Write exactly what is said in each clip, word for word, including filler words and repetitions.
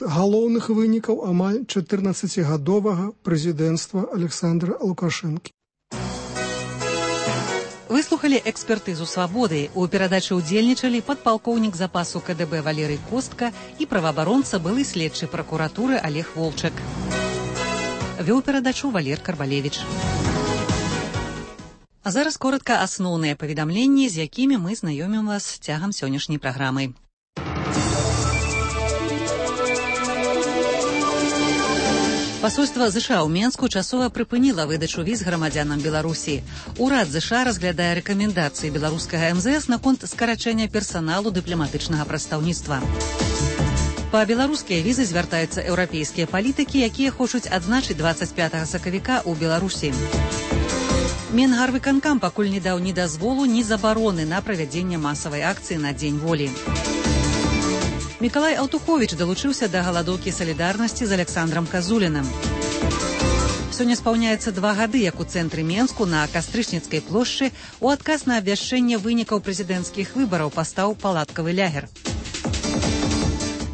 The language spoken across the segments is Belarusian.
галоўных вынікаў амаль чатырнаццацігадовага прэзідэнцтва Александра Лукашэнкі. Выслухалі экспертызу «Свабоды». У перадачы ўдзельнічалі падпалкоўнік запасу ка дэ бэ Валерый Костка і праваабаронца былы следчы пракуратуры Олег Волчак. Вёў перадачу Валер Карбалевіч. А зараз коротка асноўныя паведамленні, з якімі мы знаёмім вас цягам сённяшняй праграмы. Пасольства ЗША ў Менску часова прыпыніла выдачу віз грамадзянам Беларусі. Урад ЗША разглядае рэкамендацыі беларускага эм зэ эс наконт скарачэння персаналу дыпламатычнага прадстаўніцтва. Па беларускія візы звяртаюцца еўрапейскія палітыкі, якія хочуць адзначыць дваццаць пятага сакавіка ў Беларусі. Менгарвыканкам пакуль не даў ні дазволу, ні забароны на правядзенне масавай акцыі на Дзень волі. Мікалай Аўтуховіч далучыўся да галадоўкі салідарнасці з Александрам Казулінам. Сёння спаўняецца два гады, як у цэнтры Менску на Кастрычніцкай плошчы у адказ на абвяшчэнне вынікаў прэзідэнцкіх выбараў пастаў палаткавы лягер.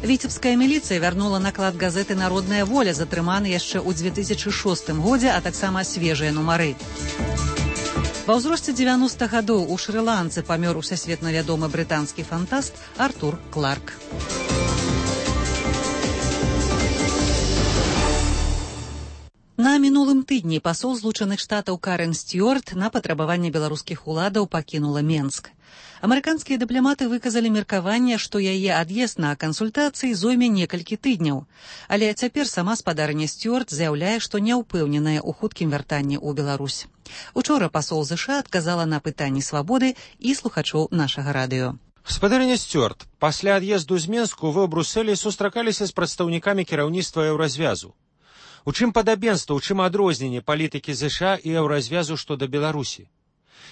Віцебская міліцыя вярнула наклад газеты «Народная воля», затрыманы яшчэ ў дзве тысячы шостым годзе, а таксама свежыя нумары. Ва ўзросце дзевяноста гадоў у Шры-Ланцы памёр усесветна вядомы брытанскі фантаст Артур Кларк. На мінулым тыдні пасол Злучаных Штатаў Карен Стюарт на патрабаванне беларускіх уладаў пакінула Менск. Амерыканскія дыпламаты выказалі меркаванне, што яе ад'езд на кансультацыі зойме некалькі тыдняў. Але цяпер сама спадарня Стюарт заяўляе, што не ўпэўненая ў хуткім вяртанні ў Беларусь. Учора пасол ЗША адказала на пытанні «Свабоды» і слухачоў нашага радыё. Спадарня Стюарт, пасля ад'езду з Менску вы ў Брусэлі сустракаліся з прадстаўнікамі кіраўніцтва еўразвязу. У чым падабенства, у чым адрозненне палітыкі ЗША і еўразвязу што да Беларусі?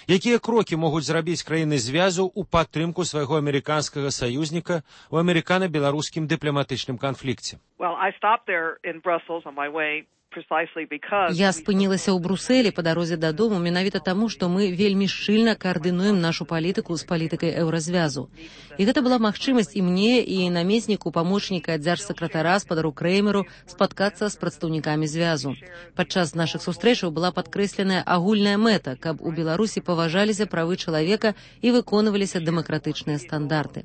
Якія крокі могуць зрабіць краіны звязу ў падтрымку свайго амерыканскага саюзніка ў амерыкана-беларускім дыпламатычным канфлікце? Well, I stopped there in Brussels on my way precisely because Я спынілася ў Брусэлі па дарозе дадому менавіта таму, што мы вельмі шчыльна каардынуем нашу палітыку з палітыкай еўразвязу. І гэта была магчымасць і мне, і намесніку памочніка дзяржсакратара спадару Крэймеру спаткацца з прадстаўнікамі звязу. Падчас нашых сустрэчаў была падкрэсленая агульная мэта, каб у Беларусі паважаліся правы чалавека і выконваліся дэмакратычныя стандарты.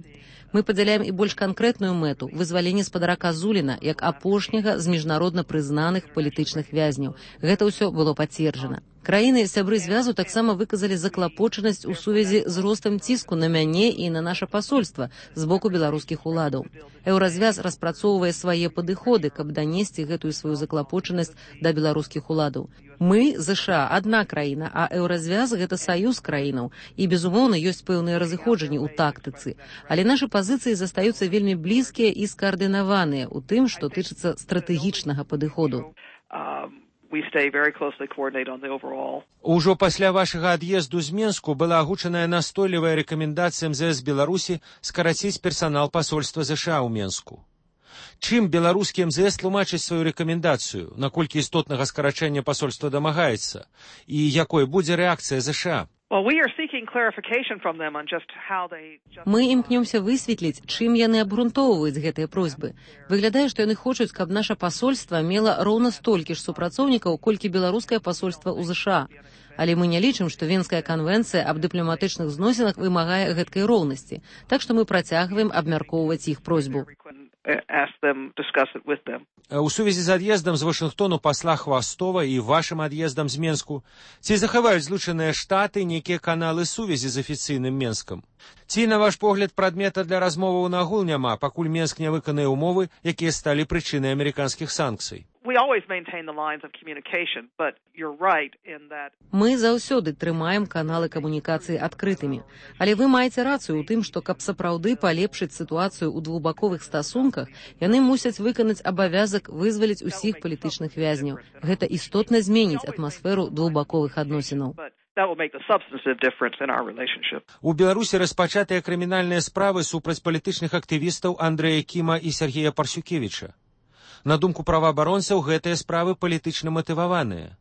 Мы падзяляем і больш канкрэтную мэту – вызваленне спадара Казуліна як апошняга з міжнародна прызнаных палітычных вязняў. Гэта ўсё было пацверджана. Краіны сябры звязу таксама выказалі заклапочанасць у сувязі з ростам ціску на мяне і на наша пасольства з боку беларускіх уладаў. Еўразвяз распрацоўвае свае падыходы, каб данесці гэтую сваю заклапочанасць да беларускіх уладаў. Мы, ЗША, адна краіна, а еўразвяз – гэта саюз краінаў. І, безумоўна, ёсць пэўныя разыходжанні ў тактыцы. Але нашы пазіцыі застаюцца вельмі блізкія і скаардынаваныя ў тым, што тычыцца стратэгічнага падыходу. We stay very closely coordinated on the overall. Ужо пасля вашага ад'езду з Менску была агучаная настойлівая рэкамендацыя эм зэ эс Беларусі скараціць персанал пасольства ЗША ў Менску. Чым беларускі эм зэ эс тлумачыць сваю рэкамендацыю, наколькі істотнага скарачэння пасольства дамагаецца, і якой будзе рэакцыя ЗША? Мы імкнёмся высветліць, чым яны абгрунтоўваюць гэтыя просьбы. Выглядае, што яны хочуць, каб наша пасольства мела роўна столькі ж супрацоўнікаў, колькі беларускае пасольства ў ЗША. Але мы не лічым, што Венская канвенцыя аб дыпламатычных зносінах вымагае гэткай роўнасці. Так што мы працягваем абмяркоўваць іх просьбу. У сувязі з ад'ездам з Вашынгтону пасла Хвастова і вашым ад'ездам з Менску, ці захаваюць Злучаныя Штаты нейкія каналы сувязі з афіцыйным Менскам? Ці, на ваш погляд, прадмета для размоваў нагул няма, пакуль Менск не выканае ўмовы, якія сталі прычынай амерыканскіх санкцый? Мы заўсёды трымаем каналы камунікацыі адкрытымі. Але вы маеце рацыю ў тым, што каб сапраўды палепшыць сітуацыю ў двухбаковых стасунках, яны мусяць выканаць абавязак вызваліць усіх палітычных вязняў. Гэта істотна зменіць атмасферу двухбаковых адносінаў. У Беларусі распачатыя крымінальныя справы супраць палітычных актывістаў Андрэя Кіма і Сергея Парсюкевіча. На думку праваабаронцаў, гэтыя справы палітычна матываваныя.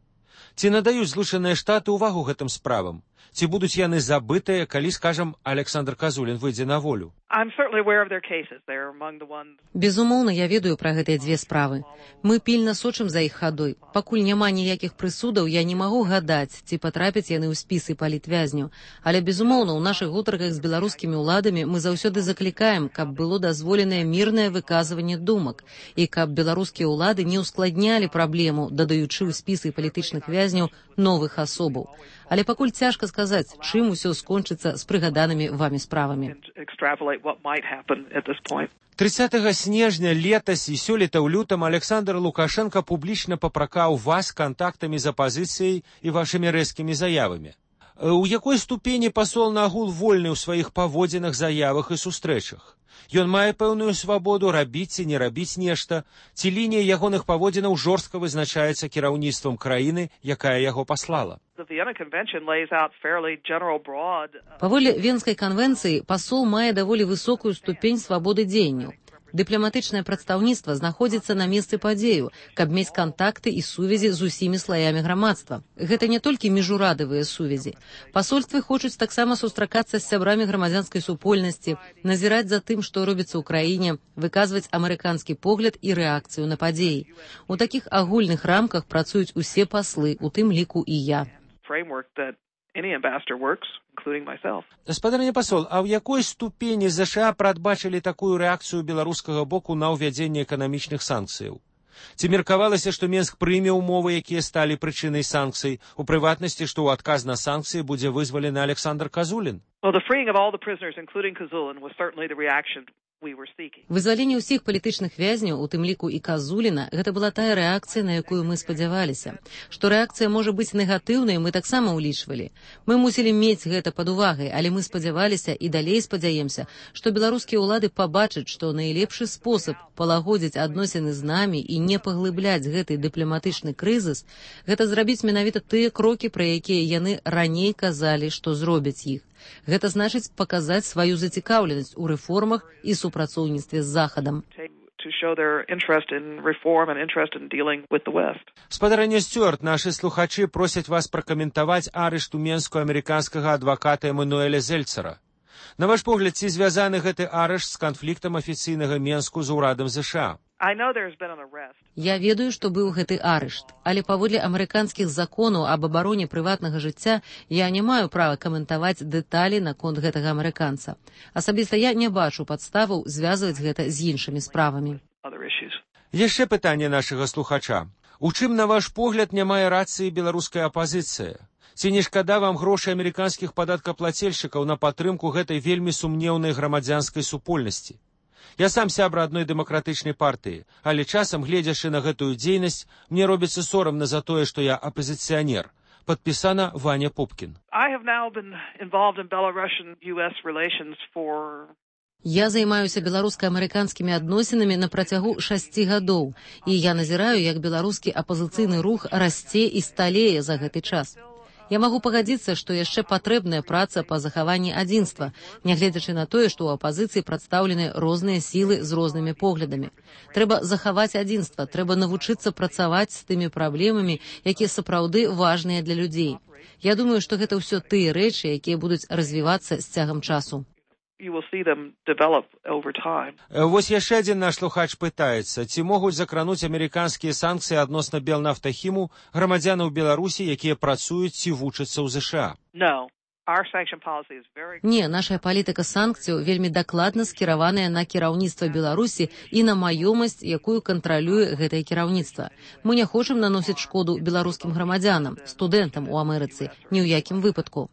Ці надаюць Злучаныя Штаты ўвагу гэтым справам? Ці будуць яны забытыя, калі, скажам, Александр Казулін выйдзе на волю? I'm certainly aware of their cases. They're among the ones... Безумоўна, я ведаю пра гэтыя дзве справы. Мы пільна сочым за іх хадой. Пакуль няма ніякіх прысудаў, я не магу гадаць, ці патрапяць яны ў спісы палітвязняў. Але, безумоўна, у нашых гутарках з беларускімі ўладамі мы заўсёды заклікаем, каб было дазволенае мірнае выказванне думак і каб беларускія ўлады не ўскладнялі праблему, дадаючы ў спісы палітычных вязняў новых асобаў. Але пакуль цяжка сказаць, чым усё скончыцца з прыгаданымі вамі справамі. трыццатага снежня летась і сёлета ў лютым Александр Лукашенко публічна папракаў вас кантактамі з апазіцыяй і вашымі рэзкімі заявамі. У якой ступені пасол нагул вольны ў сваіх паводзінах, заявах і сустрэчах? Ён мае пэўную свабоду рабіць ці не рабіць нешта, ці лінія ягоных паводзінаў жорстка вызначаецца кіраўніцтвам краіны, якая яго паслала? Паводле Венскай канвенцыі пасол мае даволі высокую ступень свабоды дзеянняў. Дыпламатычнае прадстаўніцтва знаходзіцца на месцы падзею, каб мець кантакты і сувязі з усімі слаямі грамадства. Гэта не толькі міжурадавыя сувязі. Пасольствы хочуць таксама сустракацца з сябрамі грамадзянскай супольнасці, назіраць за тым, што робіцца ў краіне, выказваць амерыканскі погляд і рэакцыю на падзеі. У такіх агульных рамках працуюць усе паслы, у тым ліку і я. Гаспадарня пасол, а ў якой ступені ЗША прадбачылі такую рэакцыю беларускага боку на ўвядзенне эканамічных санкцыяў? Ці меркавалася, што Менск прыме ўмовы, якія сталі прычынай санкцый, у прыватнасці, што ў адказ на санкцыі будзе вызвалены Александр Казулін? Вызваленне ўсіх палітычных вязняў, у тым ліку і Казуліна, гэта была тая рэакцыя, на якую мы спадзяваліся. Што рэакцыя можа быць негатыўнай, мы таксама ўлічвалі. Мы мусілі мець гэта пад увагай, але мы спадзяваліся і далей спадзяемся, што беларускія ўлады пабачаць, што найлепшы спосаб палагодзіць адносіны з намі і не паглыбляць гэты дыпламатычны крызіс, гэта зрабіць менавіта тыя крокі, пра якія яны раней казалі, што зробяць іх. Гэта значыць паказаць сваю зацікаўленасць у рэформах і супрацоўніцтве з Захадам. Спадарня Стюарт, нашы слухачы просяць вас пракаментаваць арышт у Менску амерыканскага адваката Эмануэля Зельцера. На ваш погляд, ці звязаны гэты арышт з канфліктам афіцыйнага Менску з урадам ЗША? Я ведаю, што быў гэты арышт, але паводле амерыканскіх законаў аб абароне прыватнага жыцця я не маю права каментаваць дэталі наконт гэтага амерыканца. Асабіста я не бачу падставаў звязваць гэта з іншымі справамі. Яшчэ пытанне нашага слухача. У чым, на ваш погляд, не мае рацыі беларуская апазіцыя? Ці не шкада вам грошай амерыканскіх падаткаплацельшчыкаў на падтрымку гэтай вельмі сумнеўнай грамадзянскай супольнасці? Я сам сябра адной дэмакратычнай партыі, але часам, гледзячы на гэтую дзейнасць, мне робіцца сорамна за тое, што я апазіцыянер. Падпісана Ваня Пупкін. Я займаюся беларуска-амерыканскімі адносінамі на працягу шасці гадоў, і я назіраю, як беларускі апазіцыйны рух расце і сталее за гэты час. Я магу пагадзіцца, што яшчэ патрэбная праца па захаванні адзінства, нягледзячы на тое, што ў апазіцыі прадстаўлены розныя сілы з рознымі поглядамі. Трэба захаваць адзінства, трэба навучыцца працаваць з тымі праблемамі, якія сапраўды важныя для людзей. Я думаю, што гэта ўсё тыя рэчы, якія будуць развівацца з цягам часу. Вось яшчэ адзін наш слухач пытаецца, ці могуць закрануць амерыканскія санкцыі адносна Белнафтахіму грамадзянаў Беларусі, якія працуюць ці вучацца ў ЗША? Не, наша палітыка санкцыяў вельмі дакладна скіраваная на кіраўніцтва Беларусі і на маёмасць, якую кантралюе гэтае кіраўніцтва. Мы не хочам наносіць шкоду беларускім грамадзянам, студэнтам у Амерыцы, ні ў якім выпадку.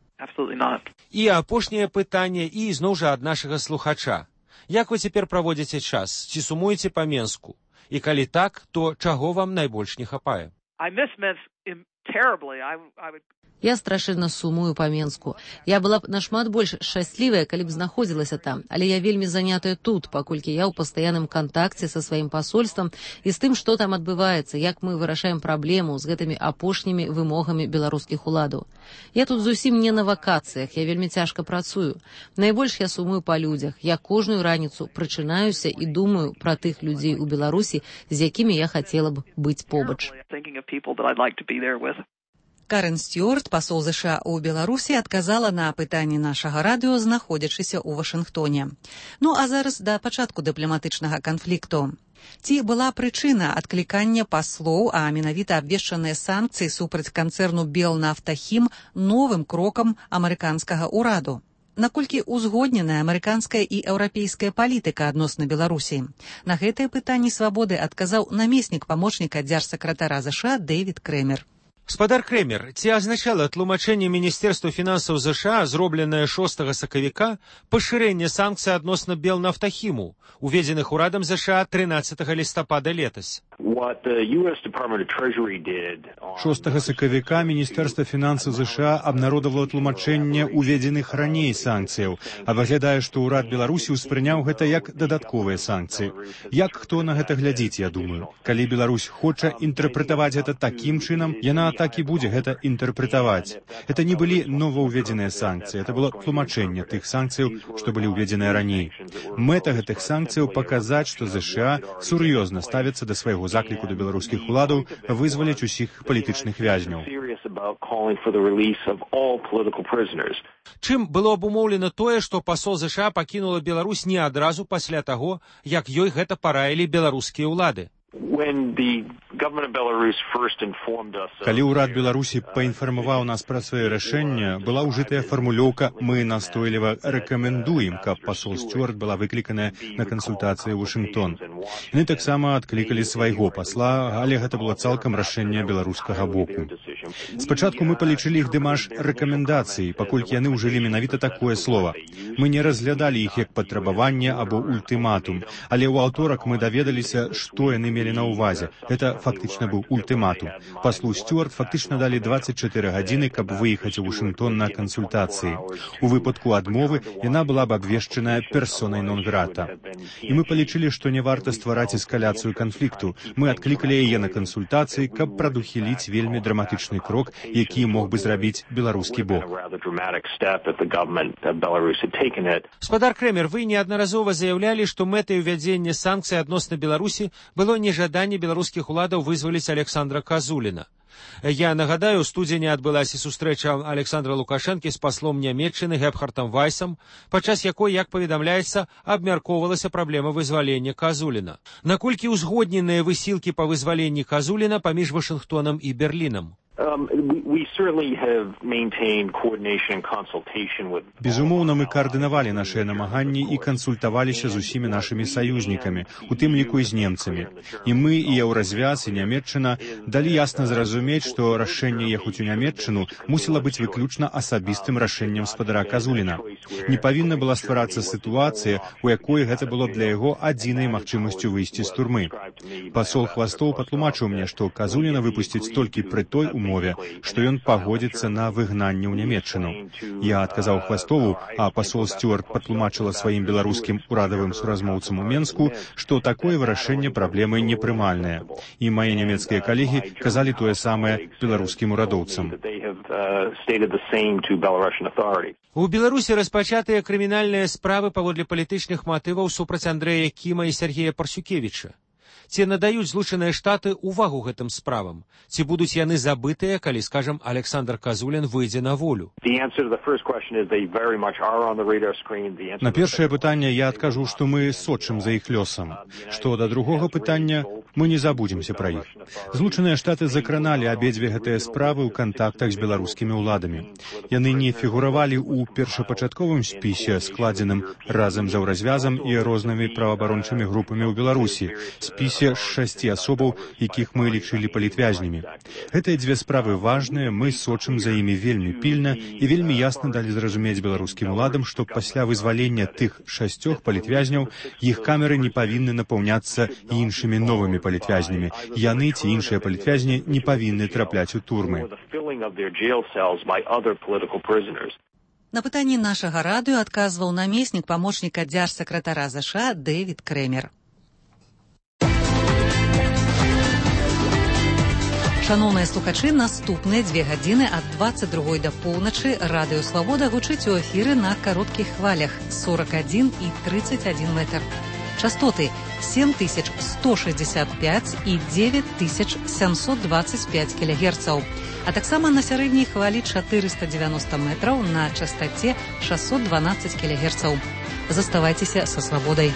І апошняе пытанне, і зноў жа ад нашага слухача. Як вы цяпер праводзіце час? Ці сумуеце па Менску? І калі так, то чаго вам найбольш не хапае? Я страшэнна сумую па Менску. Я была б нашмат больш шчаслівая, калі б знаходзілася там, але я вельмі занятая тут, паколькі я ў пастаянным кантакце са сваім пасольствам і з тым, што там адбываецца, як мы вырашаем праблему з гэтымі апошнімі вымогамі беларускіх уладаў. Я тут зусім не на вакацыях, я вельмі цяжка працую. Найбольш я сумую па людзях. Я кожную раніцу прачынаюся і думаю пра тых людзей у Беларусі, з якімі я хацела б быць побач. Карен Стюарт, пасол ЗША ў Беларусі, адказала на пытанні нашага радыё, знаходзячыся ў Вашынгтоне. Ну а зараз да пачатку дыпламатычнага канфлікту. Ці была прычына адклікання паслоў, а менавіта абвешчаныя санкцыі супраць канцэрну Белнафтахім новым крокам амерыканскага ўраду? Наколькі ўзгодненая амерыканская і еўрапейская палітыка адносна Беларусі? На гэтыя пытанні свабоды адказаў намеснік памочніка дзяржсакратара ЗША Дэвід Крэмер. Спадар Крэмер, ці азначала тлумачэнне Міністэрства фінансаў ЗША, зробленае шостага сакавіка, пашырэнне санкцый адносна Белнафтахіму, уведзеных урадам ЗША трынаццатага лістапада летась? шостага сакавіка Міністэрства фінансаў ЗША абнародавала тлумачэнне уведзеных раней санкцыяў, а выглядае, што ўрад Беларусі ўспрыняў гэта як дадатковыя санкцыі. Як хто на гэта глядзіць, я думаю. Калі Беларусь хоча інтэрпрэтаваць гэта такім чынам, яна так і будзе гэта інтэрпрэтаваць. Это не былі новаўведзеныя санкцыі, это было тлумачэнне тых санкцыяў, што былі ўведзеныя раней. Мэта гэтых санкцыяў паказаць, што ЗША сур'ёзна ставіцца да свайго закліку да беларускіх уладаў вызваліць усіх палітычных вязняў. Чым было абумоўлена тое, што пасол ЗША пакінула Беларусь не адразу пасля таго, як ёй гэта параілі беларускія ўлады? Калі ўрад Беларусі паінфармаваў нас пра сваё рашэнне, была ўжытая фармулёўка «Мы настойліва рэкамендуем», каб пасол Стюарт была выкліканая на кансультацыі ў Вашынгтон. Яны таксама адклікалі свайго пасла, але гэта было цалкам рашэнне беларускага боку. Спачатку мы палічылі іх дымаш рэкамендацыі, паколькі яны ўжылі менавіта такое слова. Мы не разглядалі іх як патрабаванне або ультыматум, але ў аўторак мы даведаліся, што яны мелі на ўвазе. Гэта фактычна быў ультыматум. Паслу Стюарт фактычна далі дваццаць чатыры гадзіны, каб выехаць у Вашынгтон на кансультацыі. У выпадку адмовы яна была б абвешчаная персонай нон-грата. І мы палічылі, што не варта ствараць эскаляцыю канфлікту. Мы адклікалі яе на кансультацыі, каб прадухіліць вельмі драматычны крок, які мог бы зрабіць беларускі бок. Спадар Крэмер, вы неаднаразова заяўлялі, што мэтай увядзення санкцый адносна Беларусі было нежаданне беларускіх уладаў вызваліць Александра Казуліна. Я нагадаю, у студзені адбылася сустрэча Александра Лукашэнкі з паслом Нямецчыны Гебхартам Вайсам, падчас якой, як паведамляецца, абмяркоўвалася праблема вызвалення Казуліна. Наколькі ўзгодненыя высілкі па вызваленні Казуліна паміж Вашынгтонам і Берлінам? Безумоўна, мы каардынавалі нашыя намаганні і кансультаваліся з усімі нашымі саюзнікамі, у тым ліку і з немцамі. І мы, і Еўразвяз, і Нямецчына далі ясна зразумець, што рашэнне ехаць у Нямецчыну мусіла быць выключна асабістым рашэннем спадара Казуліна. Не павінна была стварацца сітуацыя, у якой гэта было для яго адзінай магчымасцю выйсці з турмы. Пасол Хвастоў патлумачыў мне, што Казуліна выпусціць толькі пры той умове, што ён пагодзіцца на выгнанне ў Нямецчыну. Я адказаў Хвастову, а пасол Стюарт патлумачыла сваім беларускім урадавым суразмоўцам у Менску, што такое вырашэнне праблемы непрымальнае. І мае нямецкія калегі казалі тое самае беларускім урадоўцам. У Беларусі распачатыя крымінальныя справы паводле палітычных матываў супраць Андрэя Кіма і Сергея Парсюкевіча. Ці надаюць Злучаныя Штаты ўвагу гэтым справам? Ці будуць яны забытыя, калі, скажам, Александр Казулін выйдзе на волю? На першае пытанне я адкажу, што мы сочым за іх лёсам. Што да другога пытання, мы не забудземся пра іх. Злучаныя Штаты закраналі абедзве гэтыя справы ў кантактах з беларускімі ўладамі. Яны не фігуравалі ў першапачатковым спісе, складзеным разам з Еўразвязам і рознымі праваабарончымі групамі ў Беларусі, спісе з шасці асобаў, якіх мы лічылі палітвязнямі. Гэтыя дзве справы важныя, мы сочым за імі вельмі пільна і вельмі ясна далі зразумець беларускім уладам, што пасля вызвалення тых шасцёх палітвязняў іх камеры не павінны напаўняцца іншымі новымі палітвязнямі. Яны ці іншыя палітвязні не павінны трапляць у турмы. На пытанні нашага радыё адказваў намеснік памочніка дзяржсакратара ЗША Дэвід Крэмер. Шаноўныя слухачы, наступныя дзве гадзіны ад дваццаць другой да поўначы радыё Свабода гучыць у эфіры на кароткіх хвалях сорак адзін і трыццаць адзін метр. Частоты семь тысяч сто шестьдесят пять и девять тысяч семьсот двадцать пять килогерцаў, а таксама на сярэдняй хвалі чатырыста дзевяноста метраў на частоце шестьсот двенадцать килогерцаў. Заставайцеся са свабодай.